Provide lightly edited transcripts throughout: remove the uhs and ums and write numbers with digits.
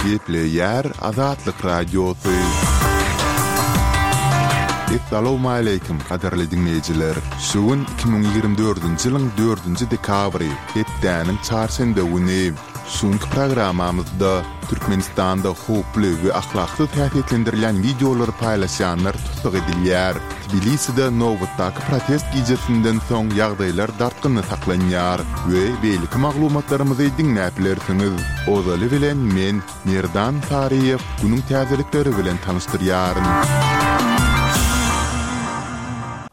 Gepleýär Azatlyk Radiosy. Essalawmaleýkim, gadyrly diňleýjiler! Şu gün 2024-nji ýylyň dördünji dekabry, hepdäniň çarşenbe güni. Şu günki programmamyzda Türkmenistanda howply we ahlaksyz häsiýetlendirilýän wideolary paýlaşýanlar tussag edilýär. Tbiliside nobatdaky protest gijesinden soň ýagdaýlar dartgynly saklanýar we beýleki maglumatlarymyzy diňläp bilersiňiz. Ozaly bilen men, Merdan Saryýew, günüň täzelikleri bilen tanyşdyrýaryn.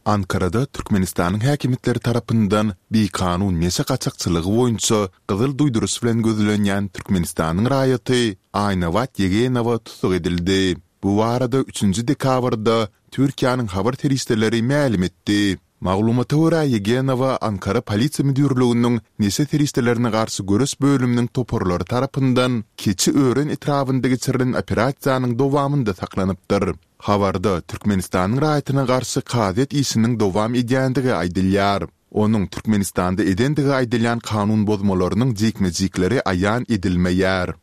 Ankarada Türkmenistanyň häkimiýetleri tarapyndan bikanun neşe gaçakçylygy boýunça gyzyl duýduryş bilen gözlenýän Türkmenistanyň raýaty Aýnabat Ýegenowa tussag edildi. Bu barada üçünji dekabrda Türkiýäniň habar serişdeleri mälim etdi. Maglumata görä, Ýegenowa Ankara polisiýa müdirliginiň neşe serişdelerine garşy göreş bölüminiň toparlary tarapyndan Keçiören etrabynda geçirilen operasiýanyň dowamynda saklanypdyr. Habarda Türkmenistanyň raýatyna garşy kazyýet işiniň dowam edýändigi aýdylýar. Onuň Türkmenistanda edendigi aýdylýan kanun bozmalarynyň jikme-jikleri aýan edilmeýär.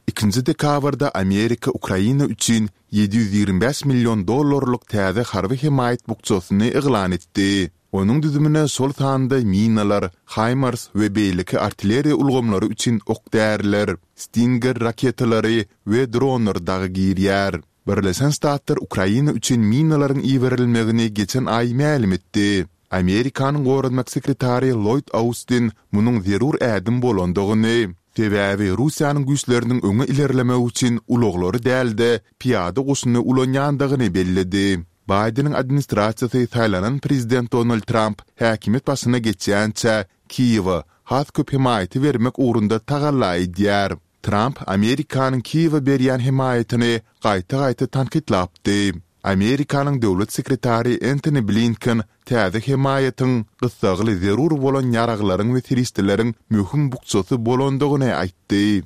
Ikinji dekabrda Amerika Ukraina üçin 725 million dollarlyk täze harby hemaýat bukjasyny yglan etdi. Onuň düzümine şol sanda minalar, HIMARS we beýleki artilleriýa ulgamlary üçin ok-däriler, Stinger raketalary we dronlar dagy girýär. Birleşen Ştatlar Ukraina üçin minalaryň iberilmegini geçen aý mälim etdi. Amerikanyň goranmak sekretary Lloýd Austin munuň zerur ädim bolandygyny, sebäbi Russiýanyň güýçleriniň öňe ilerlemegi üçin ulaglary däl-de, pyýada goşuny ulanýandygyny belledi. Baýdeniň administrasiýasy saýlanan prezident Donald Tramp häkimiýet başyna geçýänçä Kiýewe has köp hemaýaty bermek ugrunda tagalla edýär. Tramp Amerikanyň Kiýewe berýän hemaýatyny gaýta-gaýta tankytlapdy. Amerikanyň döwlet sekretary Entoni Blinken täze hemaýatyň gyssagly zerur bolan ýaraglaryň we serişdeleriň möhüm bukjasy bolandygyny aýtdy.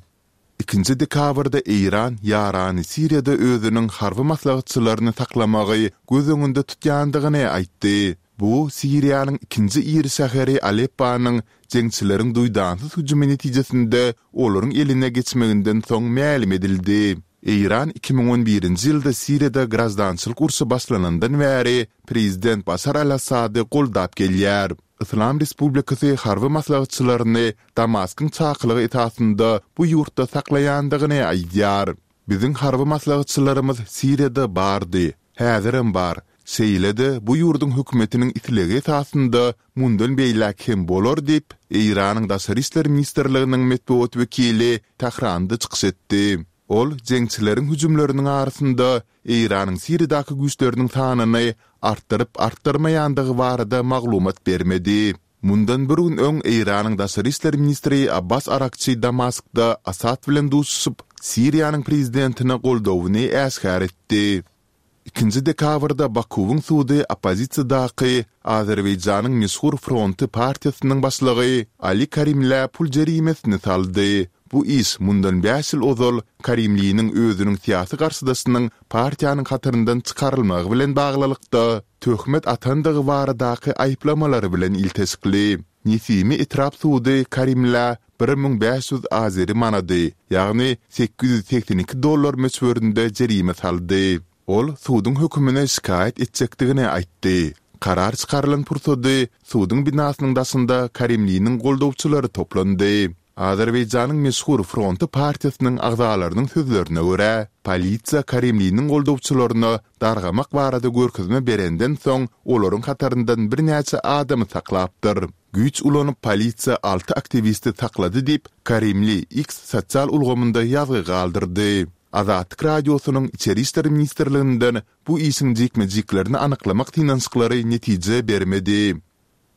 Ikinji dekabrda Eýran ýarany Siriýada özüniň harby maslahatçylaryny saklamagy göz öňünde tutýandygyny aýtdy. Bu Siriýanyň ikinji iri şäheri Alepponyň jeňçileriň duýdansyz hüjümi netijesinde olaryň eline geçmeginden soň mälim edildi. Eýran 2011-nji ýylda Siriýada graždançylyk urşy başlanandan bäri prezident Başar al-Assady goldap gelýär. Yslam Respublikasy harby maslahatçylaryny Damaskyň çakylygy esasynda bu ýurtda saklaýandygyny aýdýar. Biziň harby maslahatçylarymyz Siriýada bardy, häzirem bar, şeýle-de bu ýurduň hökümetiniň islegi esasynda mundan beýläk hem bolar diýip, Eýranyň Daşary işler ministrliginiň metbugat wekili Tähranda çykyş etdi. Ol jeňçileriň hüjümleriniň arasynda Eýranyň Siriýadaky güýçleriniň sanyny artdyryp-artdyrmaýandygy barada maglumat bermedi. Mundan bir gün öň Eýranyň daşary işler ministri Abbas Arakçi Damaskda Assad bilen duşuşyp, Siriýanyň prezidentine goldawyny äşgär etdi. Ikinji dekabrda Bakuwyň sudy oppozisiýadaky Azerbaýjanyň meşhur Fronty partiýasynyň başlygy Ali Karimlä pul jerimesini saldy. Bu iş mundan bäş ýyl ozal Karimliniň özüniň syýasy garşydaşynyň partiýanyň hataryndan çykarylmagy bilen baglylykda, töhmet atandygy baradaky aýyplamalary bilen ilteşikli. Nesimi etrap sudy Karimlä 1500 azeri manady, ýagny 882 dollar möçberinde jerime saldy. Ol suduň hökümine şikaýat etjekdigini aýtdy. Karar çykarylan pursady suduň binasynyň daşynda Karimliniň goldawçylary toplandy. Azerbaýjanyň meşhur Fronty partiýasynyň agzalarynyň sözlerine görä, polisiýa Karimliniň goldawçylaryna dargamak barada görkezme berenden soň, olaryň hataryndan birnäçe adamy saklapdyr. Güýç ulanyp polisiýa alty aktiwisti saklady diýip, Karimli X sosial ulgamynda ýazgy galdyrdy. Azatlyk Radiosynyň Içeri işler ministrliginden bu işiň jikme-jiklerini anyklamak synanyşyklary netije bermedi.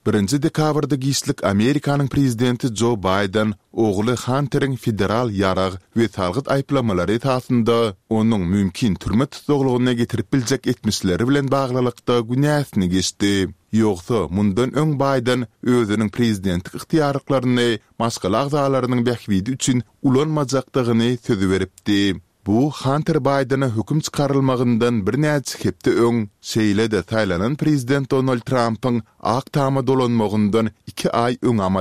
Birinji dekabrda giçlik Amerikanyň prezidenti Jo Baýden ogly Hanteriň federal ýarag we salgyt aýyplamalary esasynda onuň mümkin türme tussaglygyna getirip biljek etmişleri bilen baglylykda günäsini geçdi. Ýogsa, mundan öň Baýden özüniň prezidentlik ygtyýarlyklaryny maşgala agzalarynyň bähbidi üçin ulanmajakdygyny söz beripdi. Bu Hanter Baýdene höküm çykarylmagyndan birnäçe hepde öň, şeýle-de saýlanan prezident Donald Trampyň Ak Tama dolanmagyndan iki aý öň amal.